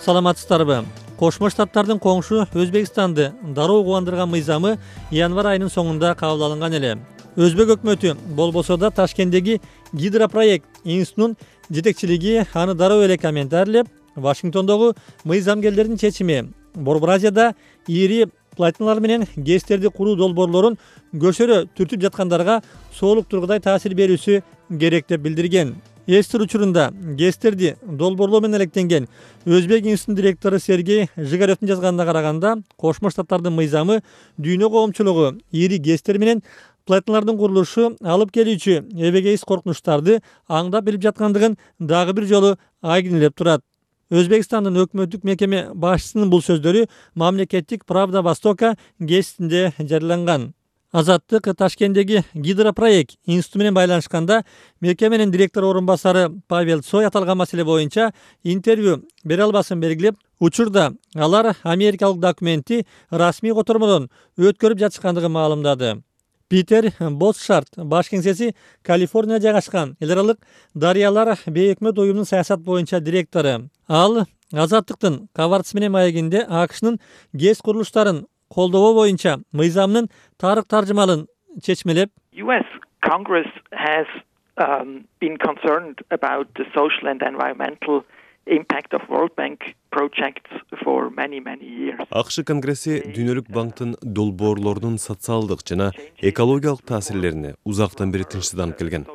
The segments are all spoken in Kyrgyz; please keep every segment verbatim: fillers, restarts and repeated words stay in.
саламатсыздарбы? Кошмо Штаттардын коңшу Өзбекстанды дароо кубандырган мыйзамы январь айынын соңунда кабыл алынган эле. Өзбек өкмөтү болбосо да Ташкенттеги Гидропроект институтунун жетекчилиги аны дароо эле комментарийлеп, Вашингтондогу мыйзамгерлердин чечими Борбор Азияда ири платиналар менен гэстерди куруу долбоорлорун көшөрө түртүп жаткандарга соолук тургудай таасир берүүсү керек деп билдирген. Эстер учурунда гэстерди долбоорлоо менен алектенген Өзбек институтунун директору Сергей Жигаревдин жазганына караганда, Кошмо Штаттардын мыйзамы дүйнө коомчулугу ири гэстер менен платиналардын курулушу алып келүүчү эбегейсиз коркунучтарды аңдап билип жаткандыгын дагы бир жолу айгинелеп турат. Өзбекстандын өкмөттүк мекеме башчысынын бул сөздөрү мамлекеттик Правда Востока гезитинде жарыяланган. Азаттык Ташкенттеги Гидропроект институту менен байланышканда мекеменин директор орун басары Павел Цой аталган маселе боюнча интервью бере албасын белгилеп, учурда алар америкалык документти расмий котормодон өткөрүп жатышкандыгын маалымдады. Питер Ботшарт баш кеңсеси Калифорнияда жайгашкан эл аралык дарыялар бейөкмөт уюмунун саясат боюнча директору. Ал Азаттыктын кабарчысы менен маегинде АКШнын гэс курулуштарын колдоо боюнча мыйзамдын тарык таржымалын чечмелеп, U S Congress has um, been concerned about the social and environmental impact of World Bank projects for many many years. АКШ Конгресси Дүйнөлүк банктын долбоорлорунун социалдык жана экологиялык таасирлерине узактан бери тынчсызданып келген.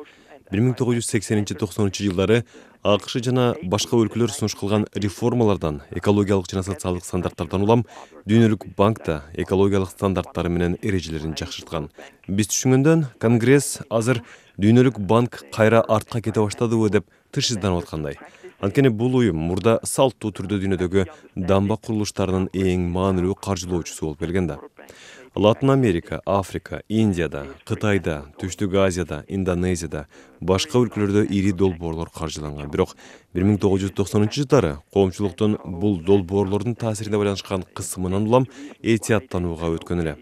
бир миң тогуз жүз сексенинчи токсонунчу жылдары АКШ жана башка өлкөлөр сунуш кылган реформалардан, экологиялык жана социалдык стандарттардан улам Дүйнөлүк банкта экологиялык стандарттары менен эрежелерин жакшырткан. Биз түшүнгөндөн Конгресс азыр Дүйнөлүк банк кайра артка кете баштадыбы деп тынчсызданып аткандай. Анткени бул уюм мурда салттуу түрдө дүйнөдөгү дамба курулуштарынын эң маанилүү каржылоочусу болуп келген да. Латын Америка, Африка, Индияда, Кытайда, Түштүк Азияда, Индонезияда, башка өлкөлөрдө ири долбоорлор каржыланган. Бирок бир миң тогуз жүз токсонунчу жылдары коомчулуктун бул долбоорлордун таасирине байланышкан кысымынан улам этияттанууга өткөн эле.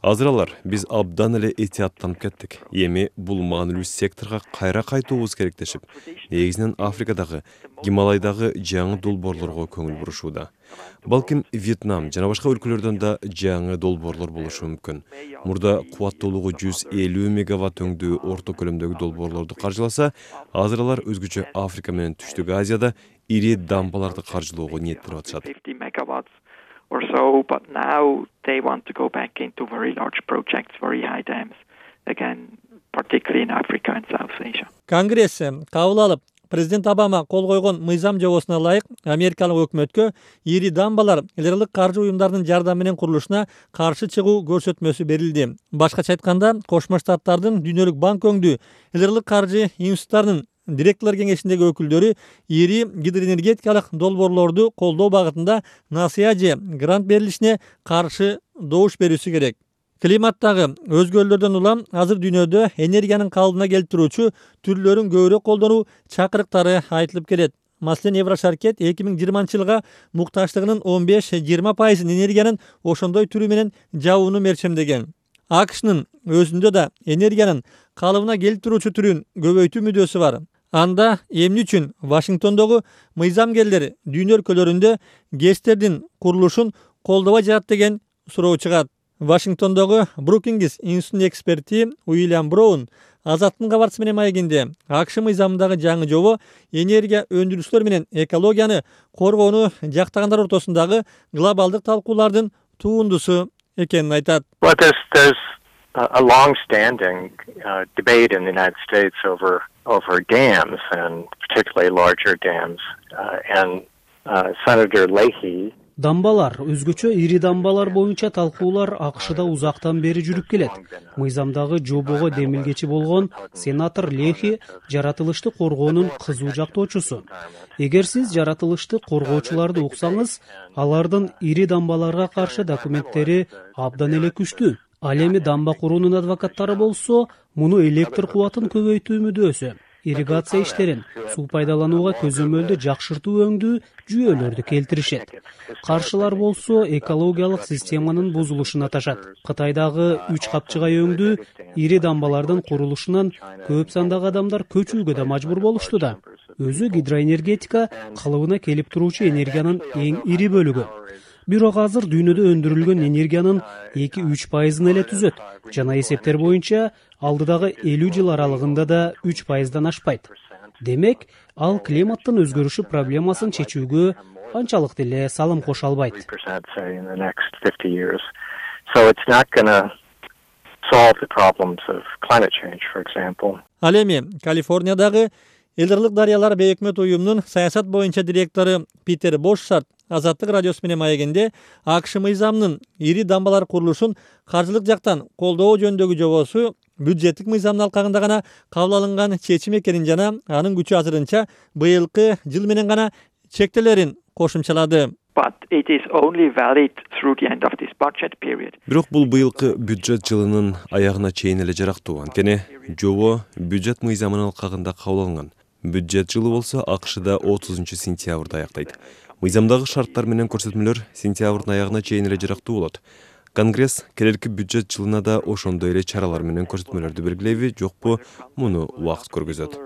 Азыр алар биз абдан эле этияттанып кеттик. Эми бул маанилүү секторго кайра кайтуубуз керектешип, негизинен Африкадагы, Гималайдагы жаңы долбоорлорго көңүл бурушууда. Балким Вьетнам жана башка өлкөлөрдөн да жаңы долбоорлор болушу мүмкүн. Мурда кубаттуулугу жүз элүү мегаватт өңдүү орто көлөмдөгү долбоорлорду каржыласа, азыр алар өзгөчө Африка менен Түштүк Азияда ири дамбаларды каржылоого ниеттенип атышат. Or so, but now they want to go back into very large projects, very high dams, again, particularly in Africa and South Asia. Конгресс кабыл алып, президент Обама кол койгон мыйзам жобосуна ылайык америкалык өкмөткө ири дамбалар эл аралык каржы уюмдарынын жардамы менен курулушуна каршы чыгуу көрсөтмөсү берилди. Башкача айтканда, Кошмо Штаттардын Дүйнөлүк банк өңдүү эл аралык каржы институттарынын директорлор кеңешиндеги өкүлдөрү ири гидроэнергетикалык долбоорлорду колдоо багытында насыя же грант берилишине каршы добуш берүүсү керек. Климаттагы өзгөрүүлөрдөн улам азыр дүйнөдө энергиянын калыбына келтирүүчү түрлөрүн көбүрөөк колдонуу чакырыктары айтылып келет. Маселен, Еврошаркет эки миң жыйырманчы жылга муктаждыгынын он беш жыйырма пайызын энергиянын ошондой түрү менен жабууну мерчемдеген. АКШнын өзүндө да энергиянын калыбына келтирүүчү түрүн көбөйтүү мүдөөсү бар. Анда эмне үчүн Вашингтондогу мыйзамгерлер дүйнө өлкөлөрүндө гэстердин курулушун колдобой жатат деген суроо чыгат. Вашингтондогу Брукингс институтунун эксперти Уильям Браун Азаттын кабарчысы менен маегинде АКШ мыйзамындагы жаңы жобо энергия өндүрүүчүлөр менен экологияны коргоону жактагандар ортосундагы глобалдык талкуулардын туындусу экенин айтат. A long-standing uh, debate in the United States over over dams, and particularly larger dams, uh, and uh, Senator Leahy. Дамбалар, өзгөчө ири дамбалар боюнча талкуулар АКШда узактан бери жүрүп келет. Мыйзамдагы жобого демилгечи болгон сенатор Лехи жаратылышты коргоонун кызуу жактоочусу. Эгер сиз жаратылышты коргоочуларды уксаңыз, алардын ири дамбаларга каршы документтери абдан эле күчтүү. Ал эми дамба куруунун адвокаттары болсо, муну электр кубатын көбөйтүү мүдөөсү, ирригация иштерин, суу пайдаланууга көзөмөлдү жакшыртуу өңдүү жүйөлөрдү келтиришет. Каршылар болсо экологиялык системанын бузулушун аташат. Кытайдагы үч капчыгай өңдүү ири дамбалардын курулушунан көп сандагы адамдар көчүүгө да мажбур болушту да. өзү гидроэнергетика калыбына келип туруучу энергиянын эң ири бөлүгү. Бирок азыр дүйнөдө өндүрүлгөн энергиянын эки үч пайызын эле түзөт жана эсептер боюнча алдыдагы элүү жыл аралыгында да үч пайыздан ашпайт. Демек, ал климаттын өзгөрүшү проблемасын чечүүгө анчалык деле салым кошо албайт. Ал эми Калифорниядагы Элдерлик дарыялар бейөкмөт уюмунун саясат боюнча директору Питер Бошшарт Азаттык радиосу менен маегинде АКШ мыйзамынын ири дамбалар курулушун каржылык жактан колдоо жөнүндөгү жобосу бюджеттик мыйзамдын алкагында гана кабыл алынган чечим экенин жана анын күчү азырынча быйылкы жыл менен гана чектелерин кошумчалады. But it is only valid through the end of this budget period. Бирок бул быйылкы бюджет жылынын аягына чейин эле жарактуу. Анткени жобо бюджет мыйзамынын алкагында кабыл алынган. Бюджет жылы болсо АКШда отузунчу сентябрда аяктайт. Мыйзамдагы шарттар менен көрсөтмөлөр сентябрдын аягына чейин эле жарактуу болот. Конгресс келерки бюджет жылына да ошондой эле чаралар менен көрсөтмөлөрдү белгилейби, жокпу, муну убакыт көргөзөт.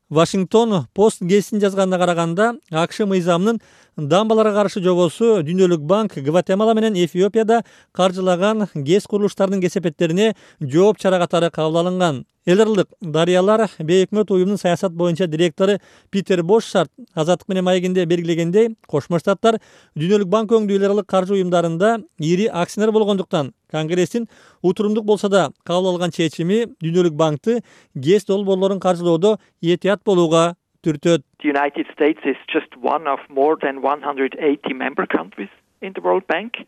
Вашингтон Пост гезитин жазганына караганда, АКШ мыйзамынын дамбаларга каршы жобосу Дүйнөлүк банк Гватемала менен Эфиопияда каржылаган гез курулуштарынын кесепеттерине жооп чара катары кабыл алынган. Элдерлик дарыялар бейөкмөт уюмунун саясат боюнча директору Питер Бошшарт Азаттык менен маегинде белгилегендей, Кошмо Штаттар Дүйнөлүк банк өңдүү элдерлик каржы уюмдарында ири акционер болгондуктан Конгресстин утурумдук болсо да кабыл алган чечими Дүйнөлүк банкты гез долбоорлорун каржылоодо этият болууга түртөт. The United States is just one of more than one hundred eighty member countries in the World Bank.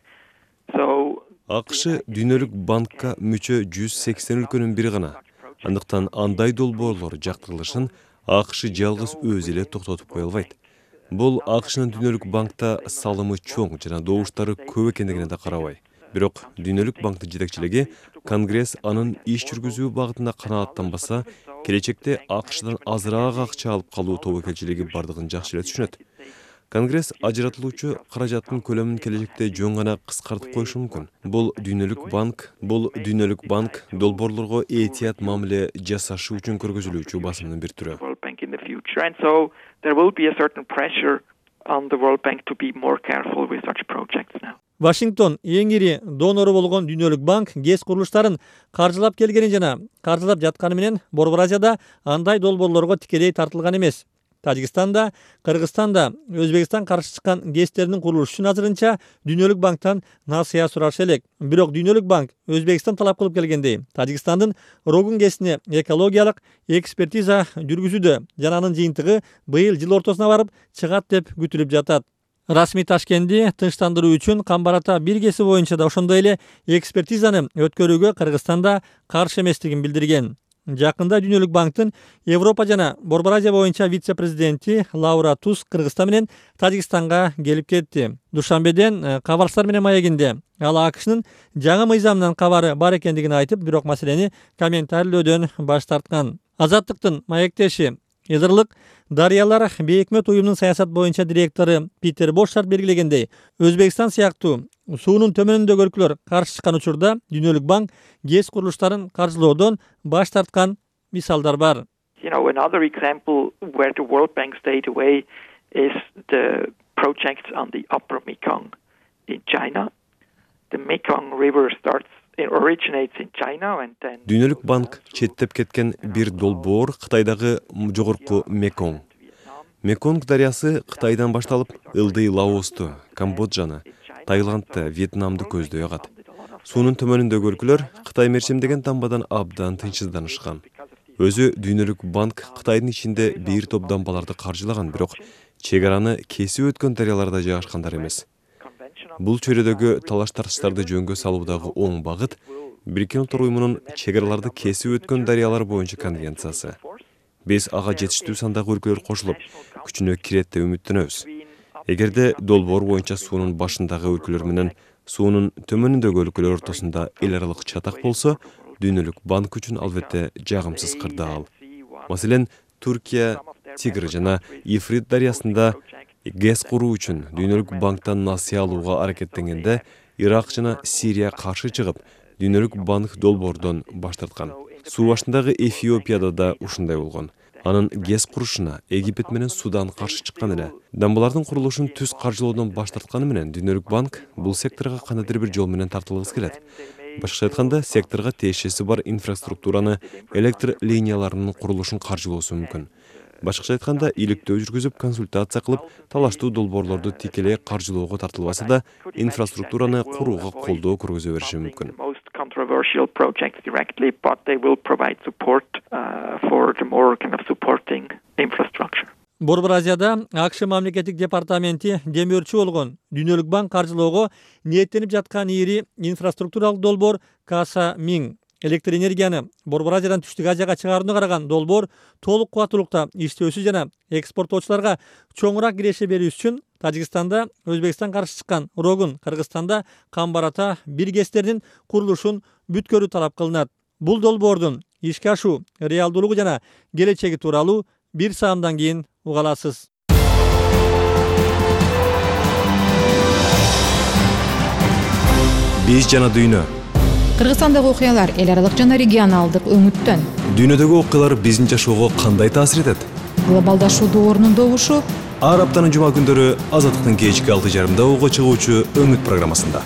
So АКШ Дүйнөлүк банкка мүчө жүз сексен өлкөнүн бири гана. Андыктан андай долбоорлор жактырылышын АКШ жалгыз өзү эле токтотуп кое албайт. Бул АКШнын Дүйнөлүк банкта салымы чоң жана добуштары көп экендигине да карабай. Бирок Дүйнөлүк банктын жетекчилиги Конгресс анын иш жүргүзүү багытында канааттанбаса, келечекте АКШдан азыраак акча алып калуу тобокелчилиги бардыгын жакшы эле түшүнөт. Конгресс ажыратылуучу каражаттын көлөмүн келечекте жөн гана кыскартып коюшу мүмкүн. Бул Дүйнөлүк банк, бул Дүйнөлүк банк долбоорлорго этият мамиле жасашы үчүн көргөзүлүүчү басымдын бир түрү. Вашингтон эң ири донору болгон Дүйнөлүк банк гез курулуштарын каржылап келгени жана каржылап жатканы менен Борбор Азияда андай долбоорлорго тикелей тартылган эмес. Тажикстанда, Кыргызстанда Өзбекстан каршы чыккан гезтердин курулушу үчүн азырынча Дүйнөлүк банктан насыя сурашы элек. Бирок Дүйнөлүк банк Өзбекстан талап кылып келгендей, Тажикстандын Рогун гезине экологиялык экспертиза жүргүзүүдө жана анын жыйынтыгы быйыл жыл ортосуна барып чыгат деп күтүлүп жатат. Расмий Ташкенди тынчтандыруу үчүн Камбарата бир геси боюнча да ошондой эле экспертизаны өткөрүүгө Кыргызстанда каршы эместигин билдирген. Жакында Дүйнөлүк банктын Европа жана Борбор Азия боюнча вице-президенти Лаура Тус Кыргызстан менен Тажикстанга келип кетти. Душанбеден кабарчылар менен маегинде ал АКШнын жаңы мыйзамынан кабары бар экендигин айтып, бирок маселени комментарийлөөдөн баш тарткан. Азаттыктын маектеши Элдерлик дарыялар бейөкмөт уюмунун саясат боюнча директору Питер Бошшарт белгилегендей, Өзбекстан сыяктуу суунун төмөнүндөгү өлкөлөр каршы чыккан учурда Дүйнөлүк банк гез курулуштарын каржылоодон баш тарткан мисалдар бар. You know, another example where the World Bank stayed away is the projects on the Upper Mekong in China. The Mekong River starts Дүйнөлүк банк четтеп кеткен бир долбоор Кытайдагы жогорку Меконг. Меконг дарыясы Кытайдан башталып, Ылдый Лаосту, Камбоджаны, Таиландты, Вьетнамды көздөй агат. Суунун төмөнүндөгү өлкөлөр Кытай мерчемдеген дамбадан абдан тынчсызданышкан. Өзү Дүйнөлүк банк Кытайдын ичинде бир топ дамбаларды каржылаган, бирок чек араны кесип өткөн дарыяларда жайгашкандар эмес. Бул чөйрөдөгү талаш-тартыштарды жөнгө салуудагы оң багыт Бириккен Улуттар уюмунун чек араларды кесип өткөн дарыялар боюнча конвенциясы. Биз ага жетиштүү сандагы өлкөлөр кошулуп, күчүнө кирет деп үмүттөнөбүз. Эгерде долбоор боюнча суунун башындагы өлкөлөр менен суунун төмөнүндөгү өлкөлөр ортосунда эл аралык чатак болсо, Дүйнөлүк банк үчүн албетте жагымсыз кырдаал. Маселен, Туркия, Тигр жана Ифрит дарыясында гез куруу үчүн Дүйнөлүк банктан насыя алууга аракеттенгенде Ирак жана Сирия каршы чыгып, Дүйнөлүк банк долбоордон баш тарткан. Суу башындагы Эфиопияда да ушундай болгон. Анын ГЭС курушуна Египет менен Судан каршы чыккан эле. Дамбалардын курулушун түз каржылоодон баш тартканы менен Дүнөлүк банк бул секторго кандайдыр бир жол менен тартылгысы келет. Башкача айтканда, секторго тиешеси бар инфраструктураны, электр линияларынын курулушун каржылоосу мүмкүн. Башкача айтканда, иликтөө жүргүзүп, консультация кылып, талаштуу долбоорлорду тикелей каржылоого тартылбаса да, инфраструктураны курууга колдоо көргөзө бериши мүмкүн. Controversial projects directly, but they will provide support uh, for the more kind of supporting infrastructure. Борбор Азияда АКШ мамлекеттик департаменти демөөрчү болгон Дүнөлүк банк каржылоого ниеттенип жаткан ири инфраструктуралык долбоор Каса Миң. Электр энергияны Борбор Азиядан Түштүк Азияга чыгарууна караган долбоор толук кубаттуулукта иштөөсү жана экспорттоочуларга чоңураак киреше берүү үчүн Тажикстанда Өзбекстан каршы чыккан Рогун, Кыргызстанда Камбарата бир ГЭСтердин курулушун бүткөрүү талап кылынат. Бул долбоордун ишке ашуу реалдуулугу жана келечеги тууралуу бир саамдан кийин уга аласыз. Биз жана дүйнө. Кыргызстандагы окуялар эл аралык жана регионалдык өңүттөн. Дүйнөдөгү окуялар биздин жашоого кандай таасир этет? Глобалдашуу доорунун добушу ар аптанын жума күндөрү Азаттыктын кечки алты жарымда уга чыгуучу Өңүт программасында.